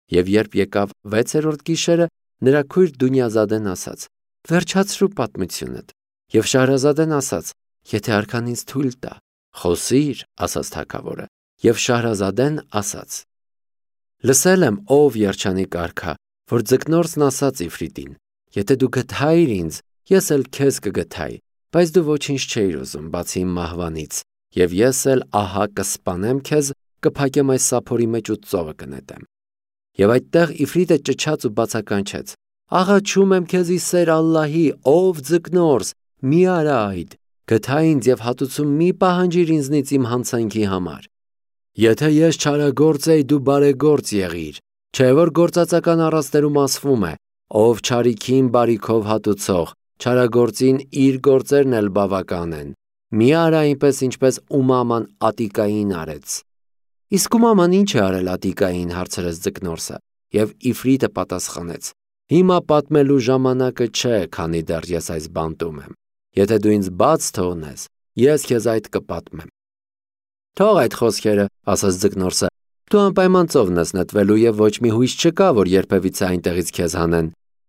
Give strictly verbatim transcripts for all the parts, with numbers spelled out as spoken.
Եվ երբ եկավ վեցերորդ գիշերը, նրա քույր Դունյազադեն ասաց. «Վերջացրու պատմությունդ»։ Եվ Շահրազադեն ասաց. «Եթե արքան ինձ թույլ տա»։ «Խոսիր», ասաց թագավորը։ Եվ Շահրազադեն ասաց. «Լսել եմ, ով երջանիկ արքա, որ ձկնորսն ասաց Իֆրիտին. եթե դու գթայիր ինձ, ես էլ քեզ կգթայի, բայց դու ոչինչ չէիր ուզում, բացի իմ մահվանից, եւ ես էլ ահա կսպանեմ քեզ, կփակեմ այս սափորի մեջ ու ծովը կնետեմ»։ Եվ այդտեղ Իֆրիտը ճչաց ու բացականչեց. «Աղաչում եմ քեզ ի սեր Ալլահի, ով ձկնորս, մի արա այդ, գթա ինձ եւ հատուցում մի պահանջիր ինձնից իմ հանցանքի համար։ Եթե ես չարագործ էի, դու բարեգործ եղիր, չէ որ գործածական առաստերում ասվում է. ով չարիքին բարիքով հատուցող, չարագործին իր գործերն էլ բավական են։ Մի արա այնպես, ինչպես Ումաման Ատիկային արեց»։ Իսկ Ումաման ինչ է արել Ատիկային, հարցրեց ձկնորսը, եւ Իֆրիտը պատասխանեց. «Հիմա պատմելու ժամանակը չէ, քանի դեռ ես այս բանտում եմ։ Եթե դու ինձ բաց թողնես, ես քեզ այդ կպատմեմ»։ «Թող այդ խոսքերը», ասաց ձկնորսը, «դու անպայման ծովն ես նետվելու եւ ոչ մի հույս չկա, որ երբևիցե այնտեղից քեզ հանեն։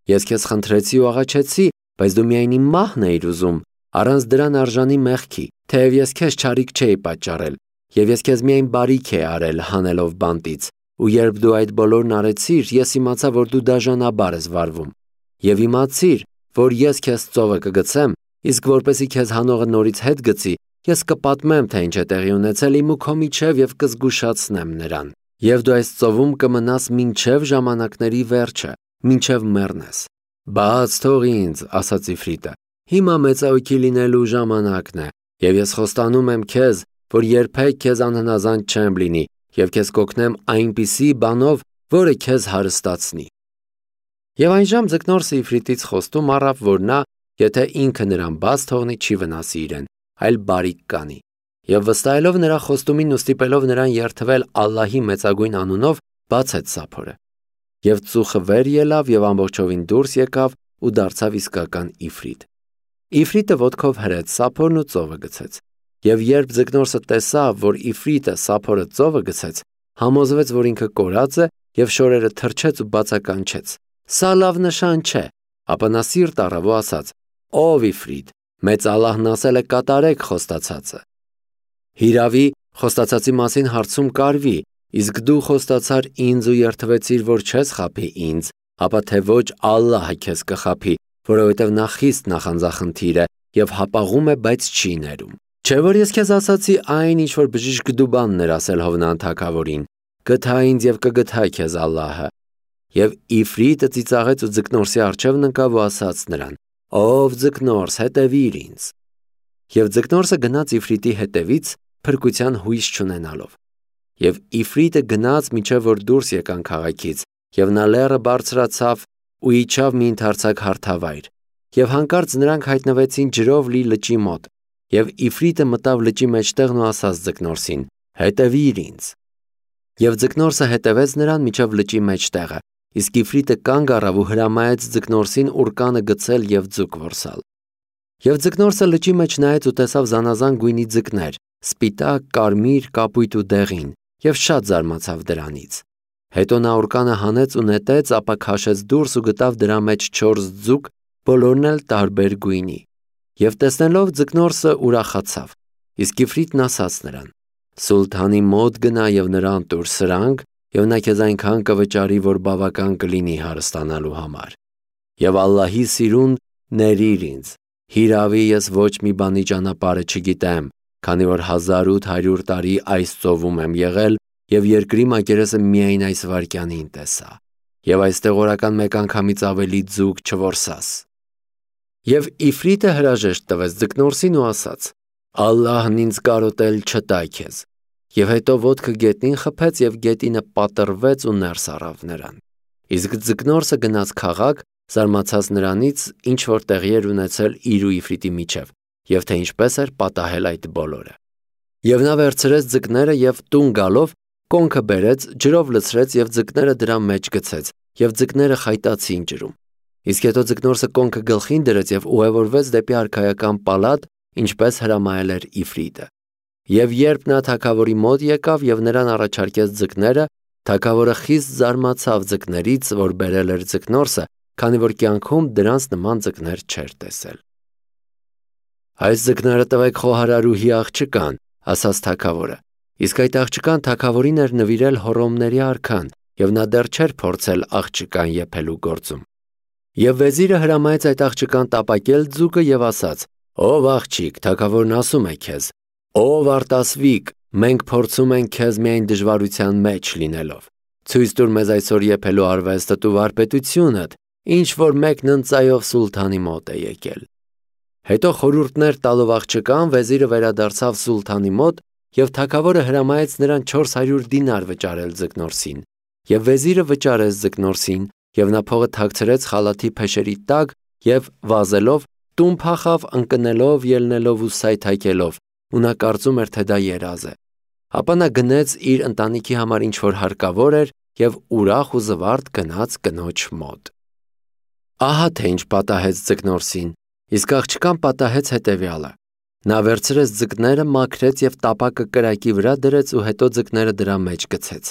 Ես քեզ խնդրեցի ու աղաչեցի, բայց դու միայն իմ մահն էիր ուզում, առանց դրան արժանի մեղքի, թեև ես քեզ չարիք չէի պատճառել, եւ ես քեզ միայն բարիք է արել հանելով բանտից, ու երբ դու այդ բոլորն արեցիր, ես իմացա, որ դու դաժանաբար ես վարվում, եւ իմացիր, որ ես քեզ ծովը կգցեմ, իսկ որպեսի քեզ հանողը նորից հետ գցի, ես կպատմեմ, թե ինչ է տեղի ունեցել իմ ու քո միջև եւ կզգուշացնեմ նրան։ Եվ դու այս ծովում կմնաս մինչև ժամանակների վերջը, մինչև մեռնես»։ «Բաց թող ինձ», ասաց Իֆրիտը, «հիմա մեծահոգի լինելու ժամանակն է, եւ ես խոստանում եմ քեզ, որ երբեք քեզ անհնազանդ չեմ լինի, եւ քեզ կօգնեմ այնպիսի բանով, որը քեզ հարստացնի»։ Եվ այնժամ ձկնորսը Իֆրիտից խոստում առավ, որ նա, եթե ինքը նրան բաց թողնի, չի վնասի իրեն, այլ բարիք կանի։ Եվ վստահելով նրա խոստումին ու ստիպելով նրան երդվել Ալլահի մեծագույն անունով, բացեց սափորը։ Եվ ծուխը վեր ելավ եւ ամբողջովին դուրս եկավ ու դարձավ իսկական Իֆրիտ։ Իֆրիտը ոտքով հրեց սափորն ու ծովը գցեց։ Եվ երբ ձկնորսը տեսավ, որ Իֆրիտը սափորը ծովը գցեց, համոզվեց, որ ինքը կորած է եւ շորերը թրջեց ու բացականչեց. «Սա լավ նշան չէ»։ Ապա նա սիրտ առավ ու ասաց. «Ով Իֆրիտ, մեծ Ալլահն ասել է կատարեք խոստացածը»։ Հիրավի, խոստացածի մասին հարցում կարվի, իսկ դու խոստացար ինձ ու երդվեցիր, որ չես խաբի ինձ, ապա թե ոչ Ալլահը քեզ կխաբի, որովհետև նա խիստ նախանձախնդիր է եւ հապաղում է, բայց չի ներում։ Չէ որ ես քեզ ասացի այն, ինչ որ բժիշկ Դուբանն էր ասել Հովնան թագավորին. «Գթա ինձ եւ կգթա քեզ Ալլահը»։ Եվ Իֆրիտը ծիծաղեց ու ձկնորսի առջևն ընկավ ու ասաց նրան. «Ով ձկնորս, հետևիր ինձ»։ Եվ ձկնորսը գնաց Իֆրիտի հետևից, փրկության հույս չունենալով։ Եվ Իֆրիտը գնաց մինչև որ դուրս եկան քաղաքից, եւ նա լեռը բարձրացավ ու իջավ մի ընդարձակ հարթավայր։ Եվ հանկարծ նրանք հայտնվեցին ջրով լի լճի մոտ, եւ Իֆրիտը մտավ լճի մեջտեղն ու ասաց ձկնորսին. «Հետևիր ինձ»։ Եվ ձկնորսը հետևեց նրան մինչև լճի մեջտեղը, իսկ Իֆրիտը կանգ առավ ու հրամայեց ձկնորսին ուռկանը գցել եւ ձուկ որսալ։ Եվ ձկնորսը լճի մեջ նայեց ու տեսավ զանազան գույնի ձկներ, սպիտակ, կարմիր, կապույտ ու դեղին, եւ շատ զարմացավ դրանից։ Հետո նա ուռկանը հանեց ու նետեց, ապա քաշեց դուրս ու գտավ դրա մեջ չորս ձուկ, բոլորն էլ տարբեր գույնի։ Եվ տեսնելով ձկնորսը ուրախացավ, իսկ Իֆրիտն ասաց նրան. «Սուլթանի մոտ գնա եւ նրան տուր սրանք, եւ նա քեզ այնքան կվճարի, որ բավական կլինի հարստանալու համար։ Եվ Ալլահի սիրուն ներիր ինձ, հիրավի ես ոչ մի բանի ճանապարհը չգիտեմ, քանի որ հազար ութ հարյուր տարի այս ծովում եմ եղել եւ երկրի մակերեսը միայն այս վայրկյանին տեսա, եւ այստեղ օրական մեկ անգամից ավելի ձուկ չորսաս»։ Եվ Իֆրիտը հրաժեշտ տվեց ձկնորսին ու ասաց. «Ալլահն ինձ կարոտել չտա քեզ»։ Եվ հետո ոտքը գետնին խփեց եւ գետինը պատռվեց ու ներս առավ նրան։ Իսկ ձկնորսը գնաց քաղաք, զարմացած նրանից, ինչ որ տեղի էր ունեցել իր ու Իֆրիտի միջև, եւ թե ինչպես էր պատահել այդ բոլորը։ Եվ նա վերցրեց ձկները եւ տուն գալով կոնքը բերեց, ջրով լցրեց եւ ձկները դրա մեջ գցեց, եւ ձկները խայտացին ջրում։ Իսկ հետո ձկնորսը կոնքը գլխին դրեց եւ ուղևորվեց դեպի արքայական պալատ, ինչպես հրամայել էր Իֆրիտը։ Եվ երբ նա թագավորի մոտ եկավ եւ նրան առաջարկեց ձկները, Թագավորը խիստ զարմացավ ձկներից, որ բերել էր ձկնորսը, քանի որ կյանքում դրանց նման ձկներ չէր տեսել։ Այս ձկները տվեք խոհարարուհի աղջկան, ասաց թագավորը, իսկ այդ աղջկան թագավորին էր նվիրել Հոռոմների արքան, և նա դեռ չէր փորձել աղջկան եփելու գործում։ Եվ վեզիրը հրամայեց այդ աղջկան տապակել ձուկը և ասաց. «Ով աղջիկ, թագավորն ասում է քեզ, ով արտասվիկ, մենք փորձում ենք քեզ միայն դժվարության մեջ լինելով։ Ցույց տուր մեզ այսօր եփելու արվեստդ ու վարպետությունդ, ինչ որ մեկն ընծայով սուլթանի մոտ է եկել»։ Հետո խորհուրդներ տալով աղջկան, վեզիրը վերադարձավ սուլթանի մոտ, և թագավորը հրամայեց նրան չորս հարյուր դինար վճարել ձկնորսին։ Եվ վեզիրը վճարեց ձկնորսին, և նա փողը թաքցրեց խալաթի փեշերի տակ և վազելով տուն փախավ ընկնելով, ելնելով ու սայթաքելով, ու նա կարծում էր, թե դա երազ է։ Ապա նա գնեց իր ընտանիքի համար ինչ որ հարկավոր էր և ուրախ ու զվարթ գնաց կնոջ մոտ։ Ահա թե ինչ պատահեց ձկնորսին, իսկ աղջկան պատահեց հետևյալը. նա վերցրեց ձկները, մաքրեց և տապակը կրակի վրա դրեց ու հետո ձկները դրա մեջ գցեց։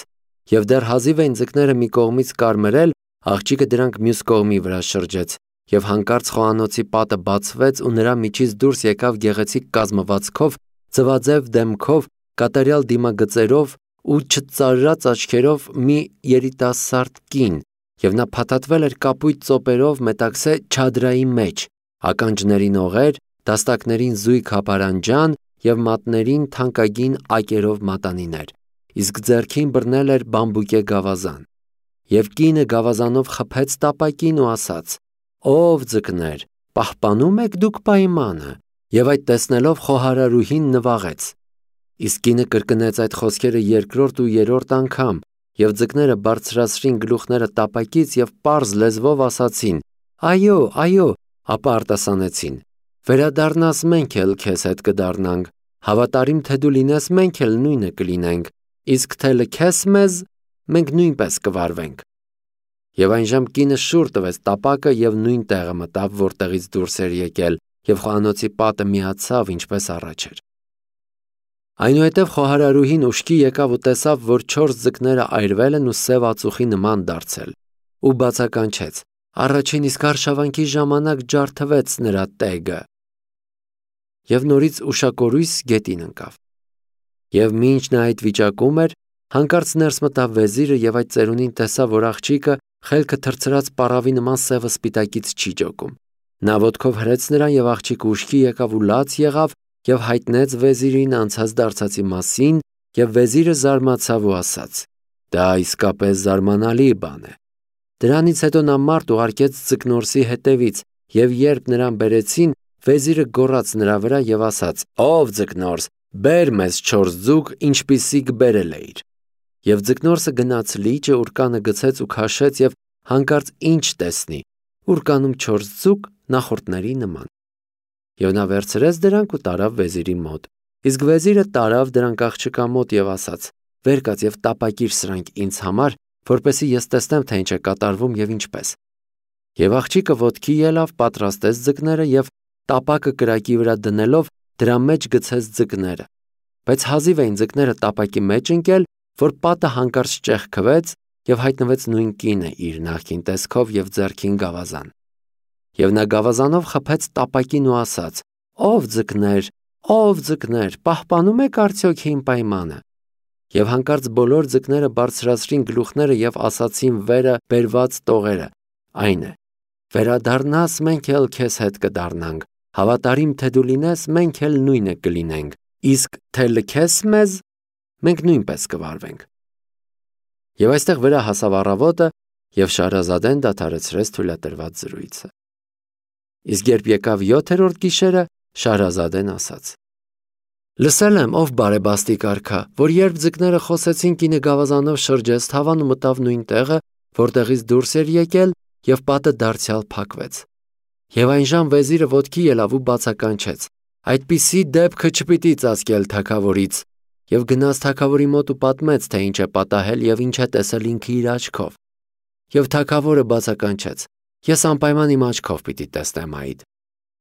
Եվ դեռ հազիվ էին ձկները մի կողմից կարմրել, աղջիկը դրանք մյուս կողմի վրա շրջեց, և հանկարծ խոհանոցի պատը բացվեց ու նրա միջից դուրս եկավ գեղեցիկ կազմվածքով, ձվաձև դեմքով, կատարյալ դիմագծերով ու չծարրած աչքերով մի երիտասարդ կին, և նա փաթաթվել էր կապույտ ծոպերով Մետաքսե չադրայի մեջ, ականջներին օղեր, դաստակներին զույգ հապարանջան և մատներին թանկագին ակերով մատանիներ, իսկ ձեռքին բռնել էր բամբուկե գավազան։ Եվ կինը գավազանով խփեց տապակին ու ասաց. «Ո՛վ ձկներ, պահպանո՞ւմ եք դուք պայմանը»։ Եվ այդ տեսնելով խոհարարուհին նվաղեց։ Իսկ կինը կրկնեց այդ խոսքերը երկրորդ ու երրորդ անգամ, և ձկները բարձրացրին գլուխները տապակից և պարզ լեզվով ասացին. «Այո, այո», ապա արտասանեցին. «Վերադառնաս, մենք էլ քեզ հետ կդառնանք, հավատարիմ թե դու լինես, մենք էլ նույնը կլինենք, իսկ թե լքես մեզ, մենք նույնպես կվարվենք»։ Եվ այնժամ կինը շուռ տվեց տապակը և նույն տեղը մտավ, որտեղից դուրս էր եկել, և խոհանոցի պատը միացավ, ինչպես առաջ էր։ Այնուհետև խոհարարուհին ուշքի եկավ ու տեսավ, որ չորս ձկները այրվել են ու սև ածուխի նման դարձել, ու բացականչեց. առաջին իսկ արշավանքի ժամանակ ջարդվեց նրա տեգը։ Եվ նորից ուշակորույս գետին ընկավ։ Եվ մինչ նա այդ վիճակում էր, հանկարծ ներս մտավ վեզիրը և այդ ծերունին տեսավ, որ աղջիկը խելքը թրցրած պառավի նման սևը սպիտակից չի ջոկում։ Նա ոտքով հրեց նրան, և աղջիկը ուշքի եկավ ու լաց եղավ և հայտնեց վեզիրին անցած դարձածի մասին, և վեզիրը զարմացավ ու ասաց. «Դա իսկապես զարմանալի բան է»։ Դրանից հետո նա մարդ ուղարկեց ձկնորսի հետևից, և երբ նրան բերեցին, վեզիրը գոռաց նրա վրա և ասաց. «Ո՛վ ձկնորս, բեր մեզ չորս ձուկ, ինչպիսիք բերել էիր»։ Եվ ձկնորսը գնաց լիճը, ուռկանը գցեց ու քաշեց և հանկարծ ինչ տեսնի. ուռկանում չորս ձուկ նախորդների նման։ Եվ նա վերցրեց դրանք ու տարավ վեզիրի մոտ, իսկ վեզիրը տարավ դրանք աղջկա մոտ և ասաց. «Վեր կաց և տապակիր սրանք ինձ համար, որպեսզի ես տեսնեմ, թե ինչ է կատարվում և ինչպես»։ Եվ աղջիկը ոտքի ելավ, պատրաստեց ձկները և տապակը կրակի վրա դնելով դրա մեջ գցեց ձկները։ Բայց հազիվ էին ձկները տապակի մեջ ընկել, որ պատը հանկարծ ճեղքվեց և հայտնվեց նույն կինը իր նախկին տեսքով և ձեռքին գավազան։ Եվ նա գավազանով խփեց տապակին ու ասաց. «Ո՛վ ձկներ, ո՛վ ձկներ, պահպանո՞ւմ եք արդյոք իմ պայմանը»։ Եվ հանկարծ բոլոր ձկները բարձրացրին գլուխները և ասացին վերը բերված տողերը, այն է. «Վերադառնաս, մենք էլ քեզ հետ կդառնանք, հավատարիմ թե դու լինես, մենք էլ նույնը կլինենք, իսկ թե լքես մեզ, մենք նույնպես կվարվենք»։ Եվ այստեղ վրա հասավ առավոտը, և Շահրազադեն դադարեցրեց թույլատրված զրույցը։ Իսկ երբ եկավ յոթերորդ գիշերը, Շահրազադեն ասաց. «Լսել եմ, ով բարեբաստիկ արքա, որ երբ ձկները խոսեցին, կինը գավազանով շրջեց թավան ու մտավ նույն տեղը, որտեղից դուրս էր եկել, և պատը դարձյալ փակվեց։ Եվ այնժամ վեզիրը ոտքի ելավ ու բացականչեց. այդպիսի դեպքը չպիտի ծածկել թագավորից, և գնաց թագավորի մոտ ու պատմեց, թե ինչ է պատահել և ինչ է տեսել ինքը իր աչքով։ Եվ թագավորը բացականչեց. «Ես անպայման իմ աչքով պիտի տեսնեմ այդ»։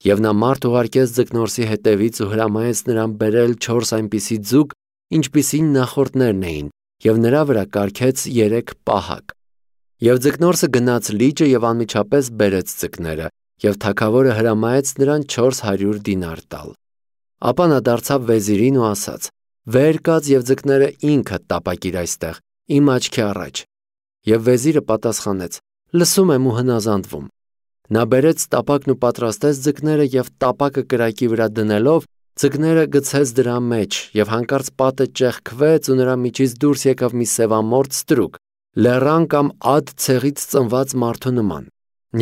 Եվ նա մարդ ուղարկեց ձկնորսի հետևից ու հրամայեց նրան բերել չորս այնպիսի ձուկ, ինչպիսին նախորդներն էին, և նրա վրա կարգեց երեք պահակ։ Եվ ձկնորսը գնաց լիճը և անմիջապես բերեց ձկները, և թագավորը հրամայեց նրան չորս հարյուր դինար տալ։ Ապա նա դարձավ վեզիրին ու ասաց. «Վեր կաց և ձկները ինքդ տապակիր այստեղ, իմ աչքի առաջ»։ Եվ վեզիրը պատասխանեց. «Լսում եմ ու հնազանդվում»։ Նա բերեց տապակն ու պատրաստեց ձկները և տապակը կրակի վրա դնելով ձկները գցեց դրա մեջ, և հանկարծ պատը ճեղքվեց ու նրա միջից դուրս եկավ մի սևամորթ ստրուկ, լեռան կամ ад ցեղից ծնված մարդու նման,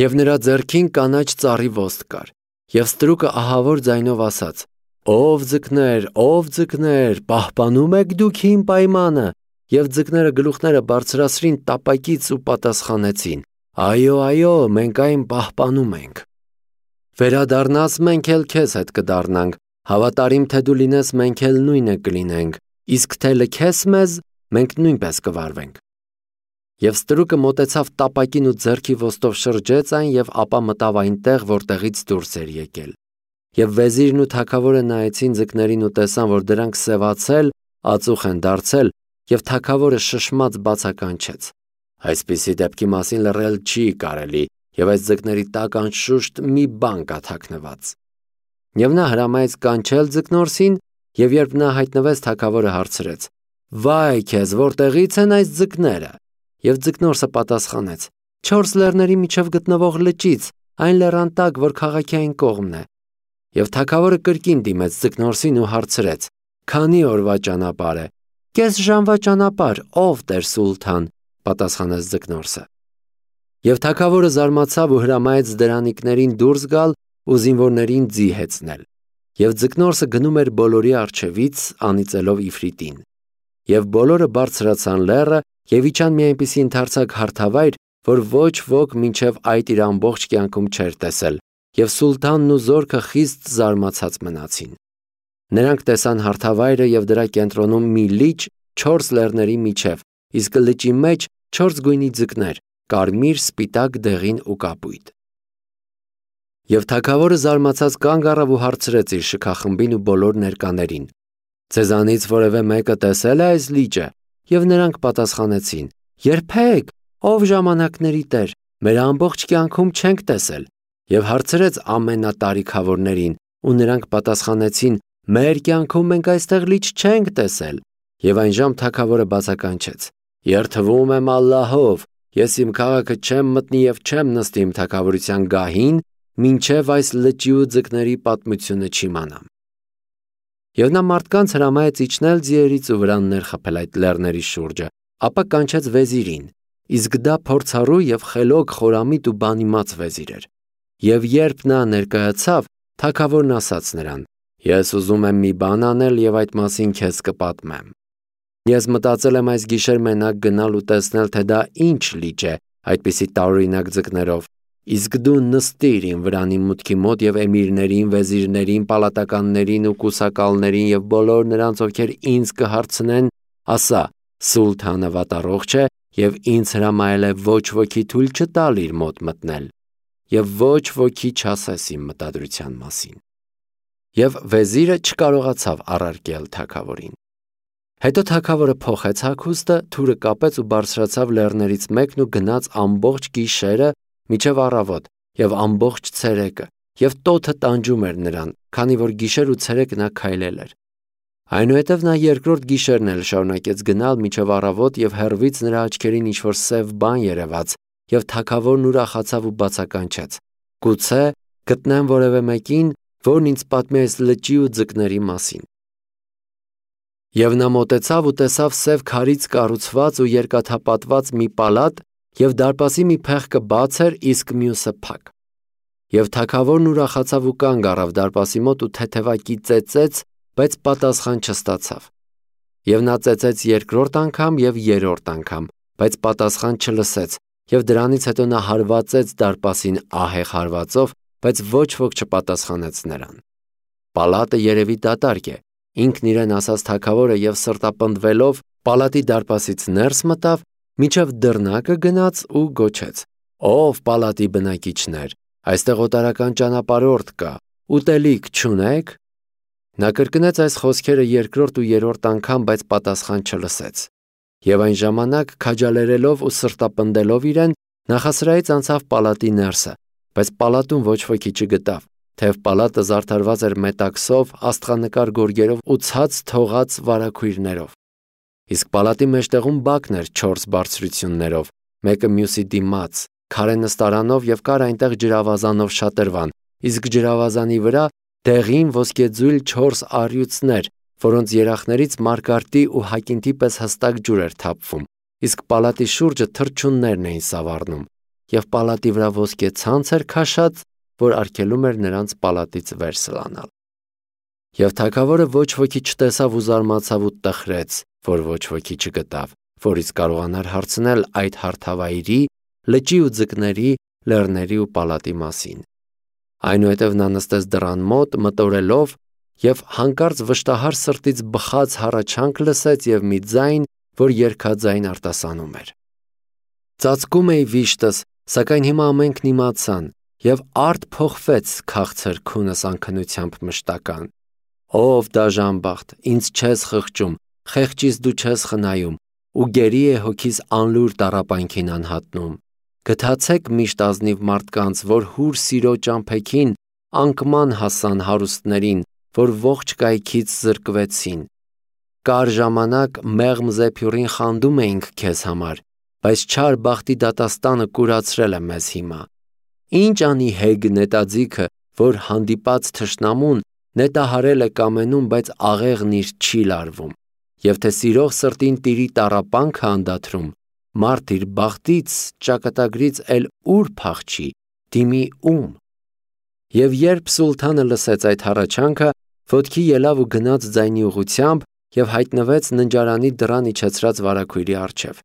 և նրա ձեռքին կանաչ ծառի ոստ կար։ Եվ ստրուկը ահավոր ձայնով ասաց. «Ո՛վ ձկներ, ո՛վ ձկներ, պահպանում եք դուք իմ պայմանը»։ Եվ ձկները գլուխները բարձրացրին տապակից ու պատասխանեցին. «Այո, այո, մենք այն պահպանում ենք»։ Վերադառնաս, մենք էլ քեզ հետ կդառնանք, հավատարիմ թե դու լինես, մենք էլ նույնը կլինենք, իսկ թե լքես մեզ, մենք նույնպես կվարվենք։ Եվ ստրուկը մոտեցավ տապակին ու ձեռքի ոտով շրջեց այն և ապա մտավ այնտեղ, որտեղից դուրս էր եկել։ Եվ վեզիրն ու թագավորը նայեցին ձկներին ու տեսան, որ դրանք սևացել, ածուխ են դարձել, և թագավորը շշմած բացականչեց. «Այսպիսի դեպքի մասին լռել չի կարելի, և այս ձկների տակ անշուշտ մի բան կա թաքնված»։ Եվ նա հրամայեց կանչել ձկնորսին, և երբ նա հայտնվեց, թագավորը հարցրեց. «Վայ քեզ, որտեղի՞ց են այս ձկները»։ Եվ ձկնորսը պատասխանեց. «Չորս լեռների միջև գտնվող լճից, այն լեռան տակ, որ քաղաքի այն կողմն է»։ Եվ թագավորը կրկին դիմեց ձկնորսին ու հարցրեց. «Քանի՞ օրվա ճանապարհ է»։ «Կես ժամվա ճանապարհ, ով տեր սուլթան», պատասխանեց ձկնորսը։ Եվ թագավորը զարմացավ ու հրամայեց դրանիկներին դուրս գալ ու զինվորներին ձի հեծնել։ Եվ ձկնորսը գնում էր բոլորի առջևից, անիծելով Իֆրիտին։ Եվ բոլորը բարձրացան լեռը և իջան մի այնպիսի ընդարձակ հարթավայր, որ ոչ ոք մինչև այդ իր ամբողջ կյանքում չէր տեսել, և սուլթանն ու զորքը խիստ զարմացած մնացին։ Նրանք տեսան հարթավայրը և դրա կենտրոնում մի լիճ չորս լեռների միջև, իսկ լճի մեջ չորս գույնի ձկներ՝ կարմիր, սպիտակ, դեղին ու կապույտ։ Եվ թագավորը զարմացած կանգ առավ ու հարցրեց իր շքախմբին ու բոլոր ներկաներին. «Ձեզանից որևէ մեկը տեսե՞լ է այս լիճը»։ Եվ նրանք պատասխանեցին. «Երբեք, ով ժամանակների Տեր, մեր ամբողջ կյանքում չենք տեսել»։ Եվ հարցրեց ամենատարիքավորներին, ու նրանք պատասխանեցին. «Մեր կյանքում մենք այստեղ լիճ չենք տեսել»։ Եվ այնժամ թագավորը բացականչեց. «Երդվում եմ Ալլահով, ես իմ քաղաքը չեմ մտնի և չեմ նստի իմ թագավորության գահին, մինչև այս լճի ու ձկների պատմությունը չիմանամ»։ Եվ նա մարդկանց հրամայեց իջնել ձիերից ու վրաններ խփել այդ լեռների շուրջը, ապա կանչեց վեզիրին, իսկ դա փորձառու և խելոք, խորամիտ ու բանիմաց վեզիր էր։ Եվ երբ նա ներկայացավ, թագավորն ասաց նրան. «Ես ուզում եմ մի բան անել և այդ մասին քեզ կպատմեմ։ Ես մտածել եմ այս գիշեր մենակ գնալ ու տեսնել, թե դա ինչ լիճ է այդպիսի տարօրինակ ձկներով, իսկ դու նստիր իմ վրանի մուտքի մոտ և էմիրներին, վեզիրներին, պալատականներին ու կուսակալներին և բոլոր նրանց, ովքեր ինձ կհարցնեն, ասա. «Սուլթանը վատառողջ է և ինձ հրամայել է ոչ ոքի թույլ չտալ իր մոտ մտնել, և ոչ ոքի չասես իմ մտադրության մասին»։ Եվ վեզիրը չկարողացավ առարկել թագավորին։ Հետո թագավորը փոխեց հագուստը, թուրը կապեց ու բարձրացավ լեռներից մեկն ու գնաց ամբողջ գիշերը մինչև առավոտ և ամբողջ ցերեկը, և տոթը տանջում էր նրան, քանի որ գիշեր ու ցերեկ նա քայլել էր։ Այնուհետև նա երկրորդ գիշերն էլ շարունակեց գնալ մինչև առավոտ և հեռվից նրա աչքերին ինչ-որ սև բան երևաց, և թագավորն ուրախացավ ու բացականչեց. «Գուցե գտնեմ որևէ մեկին, որն ինձ պատմի այս լճի ու ձկների մասին»։ Եվ նա մոտեցավ ու տեսավ սև քարից կառուցված ու երկաթապատված մի պալատ, և դարպասի մի փեղկը բաց էր, իսկ մյուսը փակ։ Եվ թագավորն ուրախացավ ու կանգ առավ դարպասի մոտ ու թեթևակի ծեծեց, բայց պատասխան չստացավ։ Եվ նա ծեծեց երկրորդ անգամ և երրորդ անգամ, բայց պատասխան չլսեց, և դրանից հետո նա հարվածեց դարպասին ահեղ հարվածով, բայց ոչ ոք չպատասխանեց նրան։ «Պալատը երևի դատարկ է», ինքն իրեն ասաց թագավորը և սրտապնդվելով պալատի դարպասից ներս մտավ, մինչև դռնակը գնաց ու գոչեց. «Ո՛վ պալատի բնակիչներ, այստեղ օտարական ճանապարհորդ կա, ուտելիք չունե՞ք»։ Նա կրկնեց այս խոսքերը երկրորդ ու երրորդ անգամ, բայց պատասխան չլսեց։ Եվ այն ժամանակ քաջալերելով ու սրտապնդելով իրեն, նախասրահից անցավ պալատի ներսը, բայց պալատում ոչ ոքի չգտավ, թեև պալատը զարդարված էր մետաքսով, աստղանկար գորգերով ու ցած թողած վարագույրներով։ Իսկ պալատի մեջտեղում բակն էր չորս բարձրություններով, մեկը մյուսի դիմաց, քարե նստարանով և կար այնտեղ ջրավազանով շատրվան, իսկ ջրավազանի վրա դեղին ոսկեձույլ չորս առյուծներ, որոնց երախներից մարգարտի ու հակինթի պես հստակ ջուր էր թափվում, իսկ պալատի շուրջը թռչուններն էին սավառնում, և պալատի վրա ոսկե ցանց էր քաշած, որ արգելում էր նրանց պալատից վեր սլանալ։ Եվ թագավորը ոչ ոքի չտեսավ ու զարմացավ ու տխրեց, որ ոչ ոքի չգտավ, որից կարողանար հարցնել այդ հարթավայրի, լճի ու ձկների, լեռների ու պալատի մասին։ Այնուհետև նա նստեց դռան մոտ, մտորելով, և հանկարծ վշտահար սրտից բխած հառաչանք լսեց և մի ձայն, որ երգաձայն արտասանում էր. Ծածկում էի վիշտս, սակայն հիմա ամենքն իմացան, և արդ փոխվեց քաղցր քունս անքնությամբ մշտական։ Ով դաժանբախտ, ինձ չես խղճում, խեղճիս դու չես խնայում, ու գերի է հոգիս անլուր տառապանքին անհատնում։ Գթացեք միշտ ազնիվ մարդկանց, որ հուր սիրո ճամփեքին անկման հասան հարուստներին, որ ողջ կայքից զրկվեցին։ Կար ժամանակ մեղմ զեփյուռին խանդում էինք քեզ համար, բայց չար բախտի դատաստանը կուրացրել է մեզ հիմա։ Ինչ անի հեգ նետաձիգը, որ հանդիպած թշնամուն նետահարել է կամենում, բայց աղեղն իր չի լարվում, և թե սիրող սրտին տիրի տառապանքը անդադրում, մարդ իր բախտից, ճակատագրից էլ ուր փախչի, դիմի ում։ Եվ երբ սուլթանը լսեց այդ հառաչանքը, ոտքի ելավ ու գնաց ձայնի ուղղությամբ և հայտնվեց ննջարանի դռան իջեցրած վարագույրի առջև։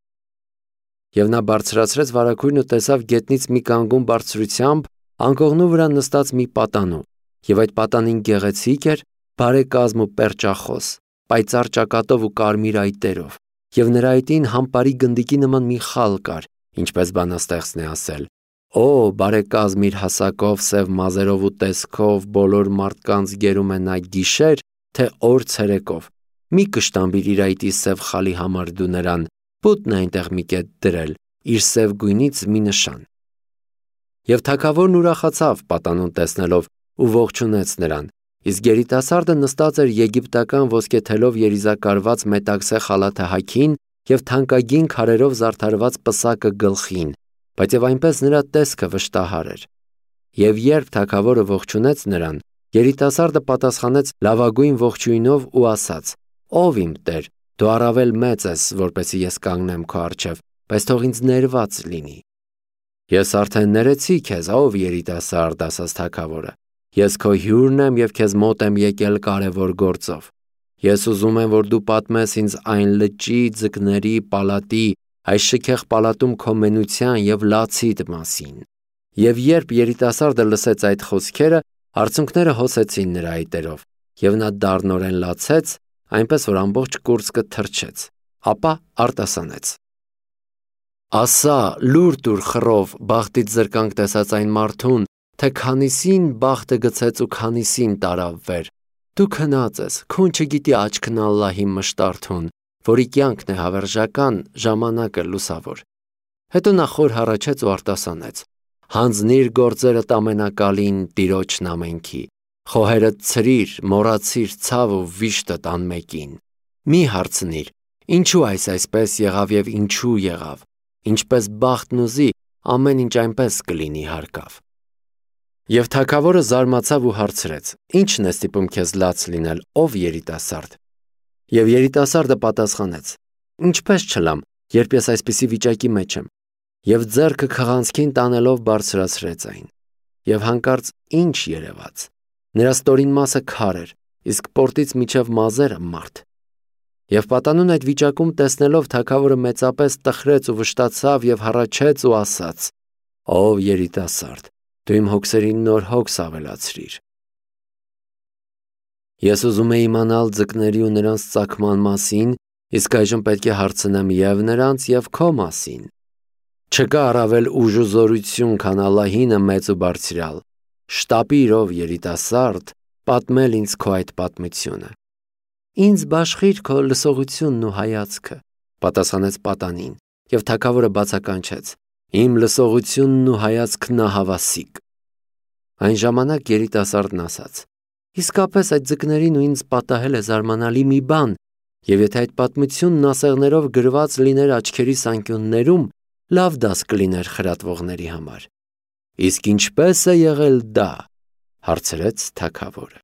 Եվ նա բարձրացրեց վարագույրն ու տեսավ գետնից մի կանգուն բարձրությամբ անկողնու վրա նստած մի պատանու, և այդ պատանին գեղեցիկ էր, բարեկազմ ու պերճախոս, պայծառ ճակատով ու կարմիր այտերով, և նրա այտին համպարի գնդիկի նման մի խալ կար, ինչպես բանաստեղծն է ասել. «Օ, բարեկազմ իր հասակով, սև մազերով ու տեսքով բոլոր մարդկանց գերում է նա գիշեր, թե օր ցերեկով, մի կշտամբիր իր այտի սև խալի համար դու նրան, պուտն է այնտեղ մի կետ դրել, իր սև գույնից մի նշան»։ Եվ թագավորն ուրախացավ պատանուն տեսնելով ու ողջունեց նրան, իսկ երիտասարդը նստած էր եգիպտական ոսկեթելով երիզակարված մետաքսե խալաթը հագին և թանկագին քարերով զարդարված պսակը գլխին, բայց և այնպես նրա տեսքը վշտահար էր։ Եվ երբ թագավորը ողջունեց նրան, երիտասարդը պատասխանեց լավագույն ողջույնով ու ասաց. «Ով իմ տեր, դու առավել մեծ ես, որպեսզի ես կանգնեմ քո առջև, բայց թող ինձ ներված լինի»։ «Ես արդեն ներեցի քեզ, ով երիտասարդ», ասաց թագավորը։ «Ես քո հյուրն եմ և քեզ մոտ եմ եկել կարևոր գործով։ Ես ուզում եմ, որ դու պատմես ինձ այն լճի, ձկների, պալատի, այս շքեղ պալատում քո մենության և լացիդ մասին»։ Եվ երբ երիտասարդը լսեց այդ խոսքերը, արցունքները հոսեցին նրա այտերով, և նա դառնորեն լացեց, այնպես որ ամբողջ կուրծքը թրջեց, ապա արտասանեց. «Ասա, լուր տուր խռով, բախտից զրկանք տեսած այն մարդուն, թե քանիսին բախտը գցեց ու քանիսին տարավ վեր։ Դու քնած ես, քուն չգիտի աչքն Ալլահի մշտարթուն, որի կյանքն է հավերժական, ժամանակը լուսավոր»։ Հետո նա խոր հառաչեց ու արտասանեց. «Հանձնիր գործերդ ամենակալին Տիրոջն ամենքի, խոհերդ ցրիր, մոռացիր ցավ ու վիշտդ անմեկին։ Մի հարցնիր, ինչու այս այսպես եղավ և ինչու եղավ, ինչպես բախտն ուզի, ամեն ինչ այնպես կլինի հարկավ»։ Եվ թագավորը զարմացավ ու հարցրեց. «Ի՞նչն է ստիպում քեզ լաց լինել, ով երիտասարդ»։ Եվ երիտասարդը պատասխանեց. «Ինչպես չլամ, երբ ես այսպիսի վիճակի մեջ եմ»։ Եվ ձեռքը քղանցքին տանելով բարձրացրեց այն։ Եվ հանկարծ ի՞նչ երևաց։ Նրա ստորին մասը քար էր, իսկ պորտից մինչև մազերը մարդ։ Եվ պատանուն այդ վիճակում տեսնելով թագավորը մեծապես տխրեց ու վշտացավ և հառաչեց ու ասաց. «Ով երիտասարդ, դու իմ հոգսերին նոր հոգս ավելացրիր»։ Ես ուզում էի իմանալ ձկների ու նրանց ծագման մասին, իսկ այժմ պետք է հարցնեմ և նրանց, և քո մասին։ Չկա առավել ուժ ու զորություն, քան Ալլահինը մեծ ու բարձրյալ։ Շտապիր, ով երիտասարդ, պատմել ինձ քո այդ պատմությունը։ Ինձ բաշխիր քո լսողությունն ու հայացքը, պատասխանեց պատանին, եւ թագավորը բացականչեց. Իմ լսողությունն ու հայացքն ահավասիկ։ Այն ժամանակ երիտասարդն ասաց. Իսկապես այդ ձկներին ու ինձ պատահել է զարմանալի մի բան, եւ եթե այդ պատմությունն ասեղներով գրված լիներ աչքերիս անկյուններում, լավ դաս կլիներ խրատվողների համար։ Իսկ ինչպե՞ս է եղել դա, հարցրեց թագավորը։